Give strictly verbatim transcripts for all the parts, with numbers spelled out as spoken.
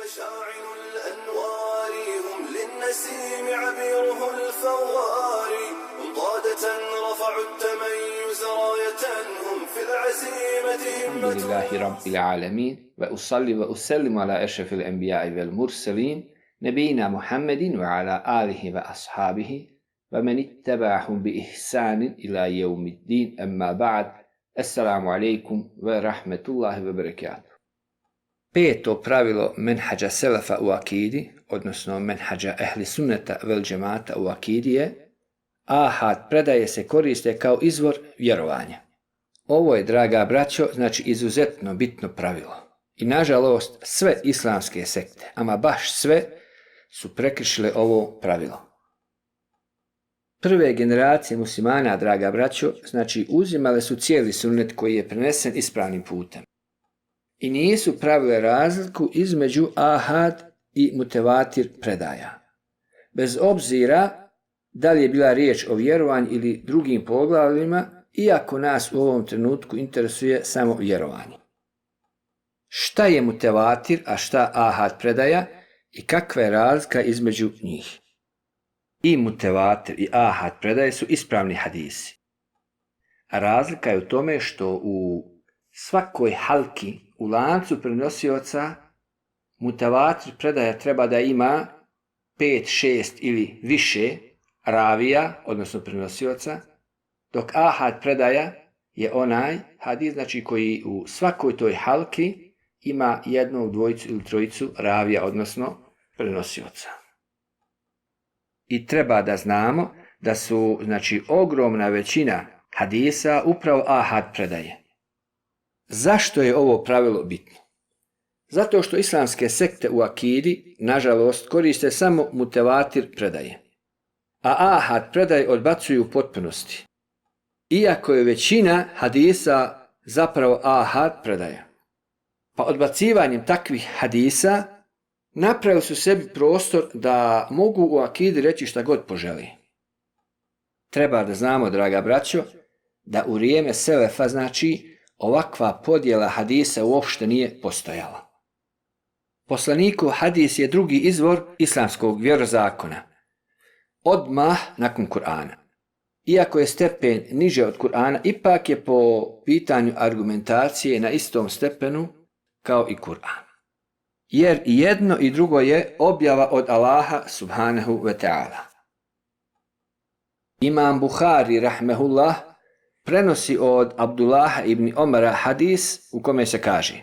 مشاعل الأنوار هم للنسيم عبيره الفوار هم قادة رفعوا التميز راية هم في العزيمة همة. الحمد لله رب العالمين وأصلي وأسلم على أشرف الأنبياء والمرسلين نبينا محمد وعلى آله وأصحابه ومن اتبعهم بإحسان إلى يوم الدين أما بعد السلام عليكم ورحمة الله وبركاته. Peto pravilo menhađa selefa u akidi, odnosno menhađa ehli sunneta vel džemata u akidi je ahad predaje se koriste kao izvor vjerovanja. Ovo je, draga braćo, znači izuzetno bitno pravilo. I nažalost sve islamske sekte, ama baš sve, su prekršile ovo pravilo. Prve generacije muslimana, draga braćo, znači uzimale su cijeli sunnet koji je prenesen ispravnim putem. I nisu pravile razliku između ahad i mutevatir predaja. Bez obzira da li je bila riječ o vjerovanju ili drugim poglavljima, iako nas u ovom trenutku interesuje samo vjerovanje. Šta je mutevatir, a šta ahad predaja i kakva je razlika između njih? I mutevatir i ahad predaje su ispravni hadisi. A razlika je u tome što u svakoj halki, u lancu prenosioca, mutevatir predaja treba da ima pet, šest ili više ravija, odnosno prenosioca, dok ahad predaja je onaj hadis, znači koji u svakoj toj halki ima jednog, dvojicu ili trojicu ravija, odnosno prenosioca. I treba da znamo da su, znači, ogromna većina hadisa upravo ahad predaje. Zašto je ovo pravilo bitno? Zato što islamske sekte u akidi, nažalost, koriste samo mutevatir predaje, a ahad predaje odbacuju u potpunosti. Iako je većina hadisa zapravo ahad predaja. Pa odbacivanjem takvih hadisa napravili su sebi prostor da mogu u akidi reći šta god poželi. Treba da znamo, draga braćo, da u vrijeme selefa, znači, ovakva podjela hadisa uopšte nije postojala. Poslanikov hadis je drugi izvor islamskog vjerozakona, odmah nakon Kur'ana. Iako je stepen niže od Kur'ana, ipak je po pitanju argumentacije na istom stepenu kao i Kur'an. Jer i jedno i drugo je objava od Allaha subhanahu wa ta'ala. Imam Buhari rahmehullah prenosi od Abdullaha ibn Omara hadis u kome se kaže: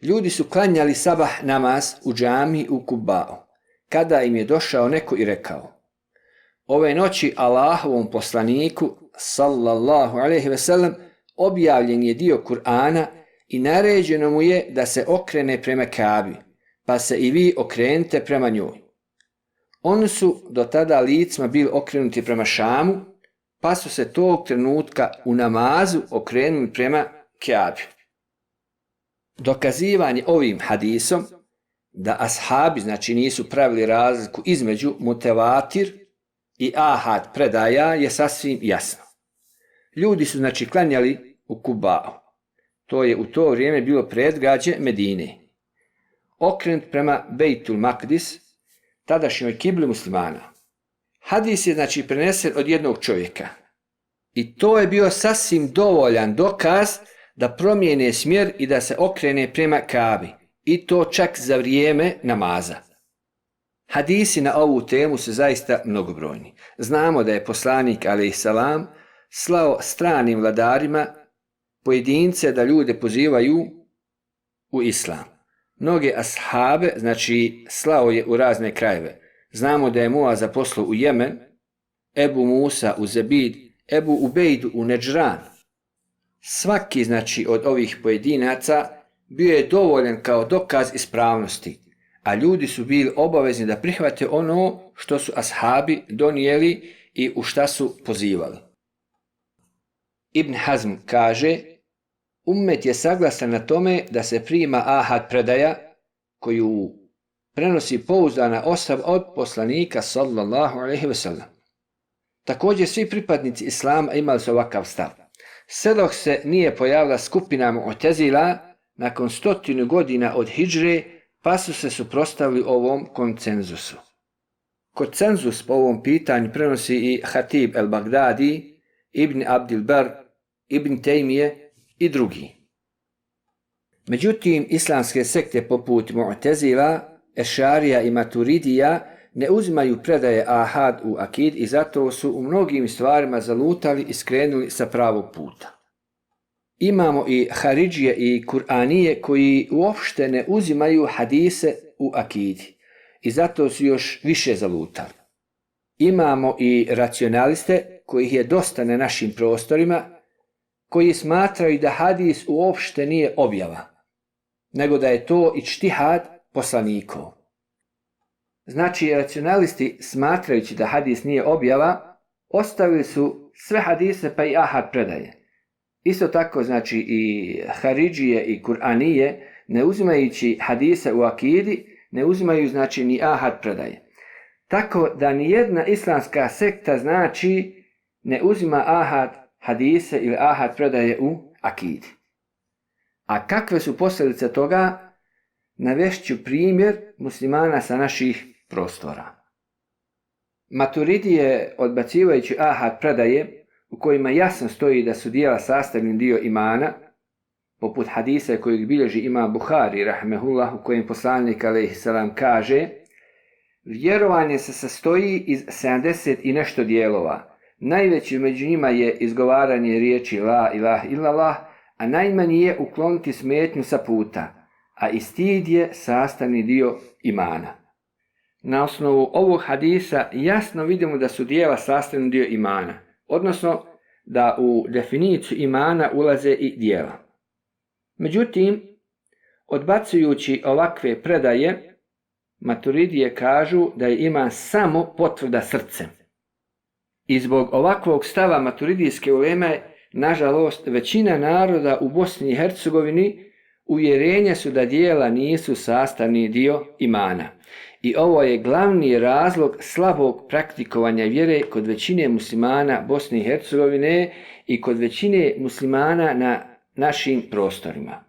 ljudi su klanjali sabah namaz u džami u Kuba'u, kada im je došao neko i rekao: ove noći Allahovom poslaniku sallallahu alejhi ve sellem objavljen je dio Kur'ana i naređeno mu je da se okrene prema Kabi, pa se i vi okrenite prema njoj. Oni su do tada licima bili okrenuti prema Šamu, pa su se tog trenutka u namazu okrenuli prema Kabi. Dokazivanje ovim hadisom da ashabi, znači, nisu pravili razliku između mutevatir i ahad predaja je sasvim jasno. Ljudi su, znači, klanjali u Kuba'u. To je u to vrijeme bilo predgrađe Medine. Okrenut prema Bejtul Makdis, tadašnjoj kibli muslimana. Hadis je, znači, prenesen od jednog čovjeka. I to je bio sasvim dovoljan dokaz da promijene smjer i da se okrene prema Kabi. I to čak za vrijeme namaza. Hadisi na ovu temu su zaista mnogobrojni. Znamo da je poslanik alejhiselam slao stranim vladarima pojedince da ljude pozivaju u islam. Mnoge ashabe, znači, slao je u razne krajeve. Znamo da je Muaz poslao u Jemen, Ebu Musa u Zebid, Ebu Ubejdu u Nedžran. Svaki, znači, od ovih pojedinaca bio je dovoljan kao dokaz ispravnosti, a ljudi su bili obavezni da prihvate ono što su ashabi donijeli i u šta su pozivali. Ibn Hazm kaže: ummet je saglasan na tome da se prima ahad predaja koju prenosi pouzdana osoba od poslanika sallallahu alejhi ve sellem. Također svi pripadnici islama imali su ovakav stav. Sve dok se nije pojavila skupina Mu'tezila nakon stotinu godina od hidžre, pa su se suprotstavili ovom konsenzusu. Konsenzus po ovom pitanju prenosi i Hatib el-Bagdadi, Ibn Abdil Bar, Ibn Tejmije i drugi. Međutim, islamske sekte poput Mu'tezila, Ešarija i Maturidija ne uzimaju predaje ahad u akid i zato su u mnogim stvarima zalutali i skrenuli sa pravog puta. Imamo i Haridžije i Kur'anije koji uopšte ne uzimaju hadise u akidi i zato su još više zalutali. Imamo i racionaliste kojih je dosta na našim prostorima koji smatraju da hadis uopšte nije objava, nego da je to ičtihad poslanikov. Znači, racionalisti smatrajući da hadis nije objava, ostavili su sve hadise pa i ahad predaje. Isto tako, znači, i Haridžije i Kur'anije, ne uzimajući hadise u akidi, ne uzimaju, znači, ni ahad predaje. Tako da nijedna islamska sekta, znači, ne uzima ahad hadise ili ahad predaje u akidi. A kakve su posljedice toga? Navešću primjer muslimana sa naših prostora. Maturidije, odbacivajući ahad predaje, u kojima jasno stoji da su dijela sastavni dio imana, poput hadisa kojeg bilježi imam Buhari, rahmehullah, u kojem poslanik alejhiselam kaže: vjerovanje se sastoji iz sedamdeset i nešto dijelova. Najveći među njima je izgovaranje riječi la ilaha illallah, a najmanji je ukloniti smetnju sa puta, a i stid je sastavni dio imana. Na osnovu ovog hadisa jasno vidimo da su dijela sastavni dio imana, odnosno da u definiciju imana ulaze i dijela. Međutim, odbacujući ovakve predaje, Maturidije kažu da je iman samo potvrda srcem. I zbog ovakvog stava maturidijske uleme, nažalost, većina naroda u Bosni i Hercegovini uvjerenja su da dijela nisu sastavni dio imana. I ovo je glavni razlog slabog praktikovanja vjere kod većine muslimana Bosne i Hercegovine i kod većine muslimana na našim prostorima.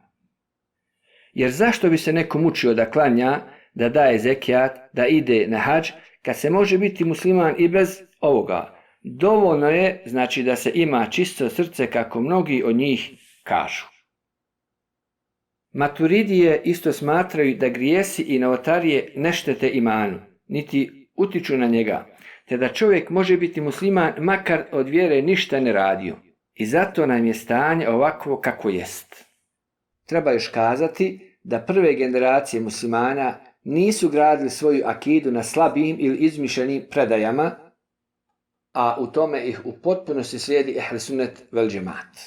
Jer zašto bi se neko mučio da klanja, da daje zekijat, da ide na hadž, kad se može biti musliman i bez ovoga? Dovoljno je, znači, da se ima čisto srce, kako mnogi od njih kažu. Maturidije isto smatraju da grijesi i novotarije ne štete imanu, niti utiču na njega, te da čovjek može biti musliman makar od vjere ništa ne radio. I zato nam je stanje ovakvo kako jest. Treba još kazati da prve generacije muslimana nisu gradili svoju akidu na slabim ili izmišljenim predajama, a u tome ih u potpunosti slijedi ehl sunnet vel džemat.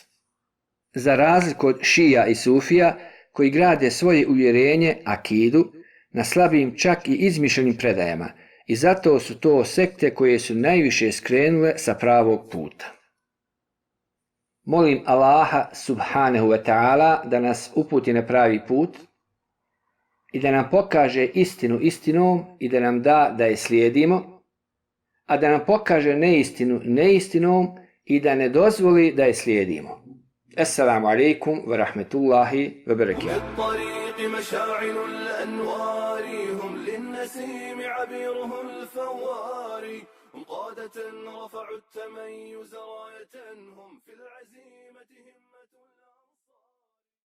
Za razliku od šija i sufija, koji grade svoje uvjerenje, akidu, na slabim čak i izmišljenim predajama, i zato su to sekte koje su najviše skrenule sa pravog puta. Molim Allaha subhanahu wa ta'ala da nas uputi na pravi put i da nam pokaže istinu istinom i da nam da da je slijedimo, a da nam pokaže neistinu neistinom i da ne dozvoli da je slijedimo. Assalamu alaikum wa rahmetullahi wa barakatuh. قادة رفعوا التميز راية هم في العزيمة هم